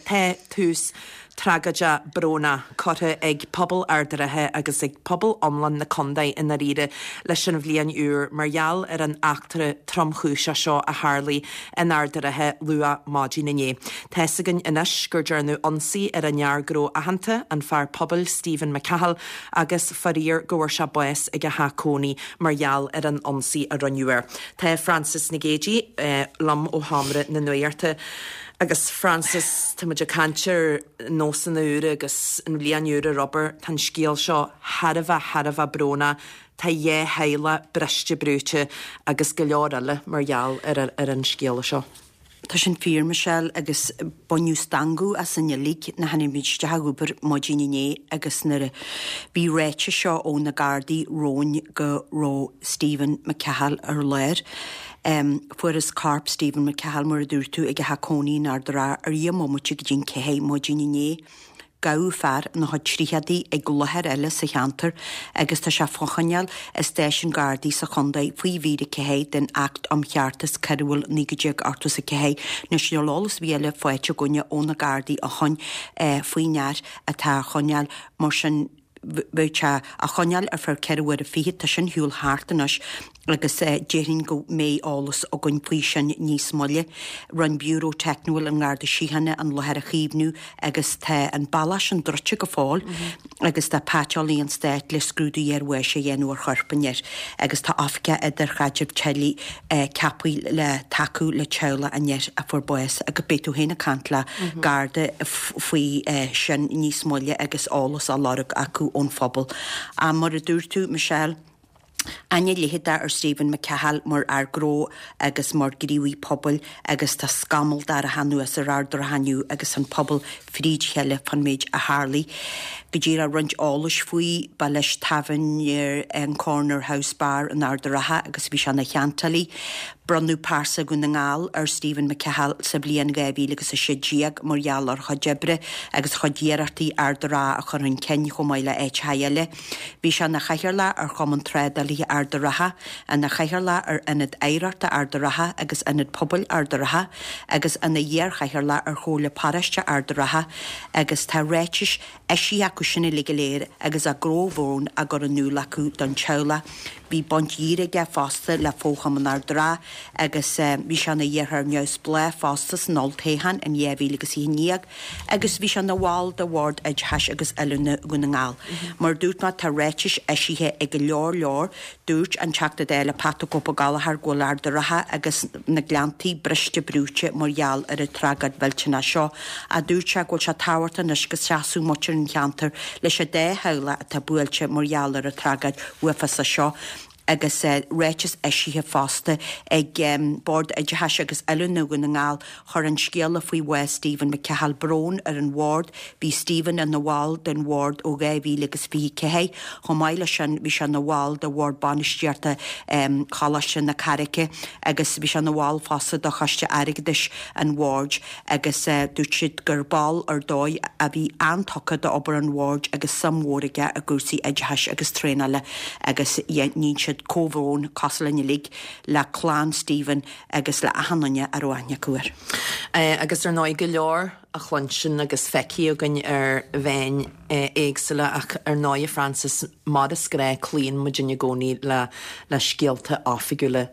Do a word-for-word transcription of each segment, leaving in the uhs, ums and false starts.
Tá tús tragóideach brónach curtha ag pobal Ard an Rátha agus ag pobal iomlán na contae i ndáiríre leis an bhliain úr mar gheall ar an eachtra tromchúiseach seo a tharlaigh in Ard an Rátha luath maidin inné. Tá a fhios againn anois gur dearnadh ionsaí ar an fhear gnó aitheanta, an fear pobail Stephen McCahill, agus faraor go bhfuair sé bás ag a theach cónaí mar gheall ar an ionsaí a rinneadh air. Tá Frances Nic Géadaigh eh, liom ó Sheomra na Nuachta. Agus Frances, tá muid ag caint ar nósanna úra agus an bhliain úr ar obair, tá an scéal seo thar a bheith thar a bheith brónach, tá dhá theaghlach briste brúite agus go leor eile mar gheall ar, ar an scéal seo. Tá sin fíor Michelle agus baineadh stangadh asainn uilig nuair a tháinig muid isteach ag obair maidin inné agus nuair a bhí ráiteas seo ó na Gardaí romhainn go raibh Stephen McCahill ar lár. Um, Fuarthas corp Stephen McCahill mar a dúirt tú ag a theach cónaí in Ard an Rátha ar dheich mbomaite go dtí an ceathair maidin inné. Gabhadh fear ina chuid tríochadaí ag láthair eile sa cheantar agus tá sé fá choinneáil i stáisiún Gardaí sa chontae faoi mhír a ceathair den Acht um Cheartas Coiriúil naoi déag ochtó a ceathair. Anois níl eolas ar bith eile faighte againne ó na Gardaí ó shin eh, faoin fhear atá á choinneáil mar sin bheadh sé á choinneáil ar feadh ceithre huaire fichead tá sin ar shiúl thart anois agus eh, déarfainn go mbeidh eolas againn faoi sin níos moille. Rinne Biúró Teicniúil an Gharda Síochána an láthair a chaomhnú agus tá an bealach sin druidte go fóill mm -hmm. agus tá paiteolaí an stáit le scrúdú iarbháis a dhéanamh ar chorp an fhir agus tá oifigeach idirchaidrimh teaghlaigh eh, ceaptha le tacú le teaghlach an fhir a fuair bás agus beidh tú féin ag caint le mm -hmm. Garda faoi eh, sin níos moille agus eolas á lorg acu ón phobal. A mar a dúirt tú Michelle, Aithne leitheadach ar Stephen McCahill mar fhear gnó agus mar ghníomhaí pobail agus tá scamall dorcha anuas ar Ard an Rátha inniu agus an pobal fríd chéile fán méid a tharlaigh. Go díreach roinnt eolais faoi ba leis tábhairne an Corner House Bar in Ard an Rátha agus bhí sé ina cheantálaí. Bronnadh pearsa Dhún na nGall ar Stephen McCahill sa bhliain dhá mhíle agus a sé déag mar gheall ar chuid oibre agus chuid iarrachtaí Ard an Rátha a chur chun cinn chomh maith le áiteacha eile. Bhí sé ina chathaoirleach ar Chumann Trádálaithe Ard an Rátha, ina chathaoirleach ar Ionad Oidhreachta Ard an Rátha agus Ionad Pobail Ard an Rátha, agus ina iarchathaoirleach ar Chomhairle Paróiste Ard an Rátha, agus tá ráitis eisithe acu sin uilig go léir agus a gcomhbhrón á gcur in iúl acu don teaghlach. Bhí baint dhíreach aige fosta le Fo-Chumann Ard an Rátha agus bhí sé ina iarrthóir neamhspleách fosta san olltoghchán in dhá mhíle agus fiche naoi agus bhí sé ina bhall de Bhord Oideachais agus Oiliúna Dhún na nGall. Mar dúirt mé tá ráitis eisithe ag go leor leor, dúirt an Teachta Dála Pat the Cope Ó Gallchóir go bhfuil Ard an Rátha agus na Gleanntaí briste brúite mar gheall ar an tragóid mhillteanach seo. A dúirt sé go bhfuil sé tábhachtach anois go seasfadh muintir an cheantair leis an dá theaghlach atá buailte mar gheall ar an tragóid uafásach seo. agus uh, ráiteas eisithe fosta ag um, Bord Oideachais agus Oiliúna Dhún na nGall chuir an scéala faoi bhás Stephen McCahill brón ar an bhord, bhí Stephen ina bhall den bhord ó dhá mhíle agus fiche ceathair, chomh maith leis sin bhí sé ina bhall de bhord bainistíochta um, Choláiste na Carraice agus bhí sé ina bhall fosta de choiste airgeadais an bhoird agus uh, dúirt siad gur ball ar dóigh a bhí an-tugtha d'obair an bhoird agus suim mhór aige i gcúrsaí oideachais agus traenála agus níonn siad comhbhrón cosúil linn uilig le clann Stephen agus le achan duine a raibh aithne acu air. Uh, agus ar ndóigh go leor a chluinstin agus feicthe againn ar mheáin uh, éagsúla ach ar ndóigh Frances mar is gnách cloíonn muid i gcónaí le le scéalta oifigiúla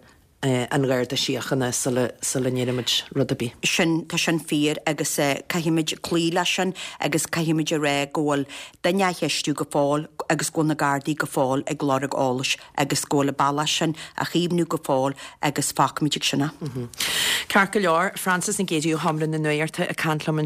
uh, an Gharda Síochána sula sula ndéanaimid rud ar bith. Sin tá sin fíor agus uh, caithfimid cloí leis sin agus caithfimid a rá go bhfuil duine á cheistiú go fóill agus go bhfuil na Gardaí go fóill ag lorg eolais agus go bhfuil an bealach sin á chaomhnú go fóill agus fágfaimid ag sin. Mm -hmm. Ceart go leor Frances Nic Géadaigh ó Sheomra na Nuachta ag caint liom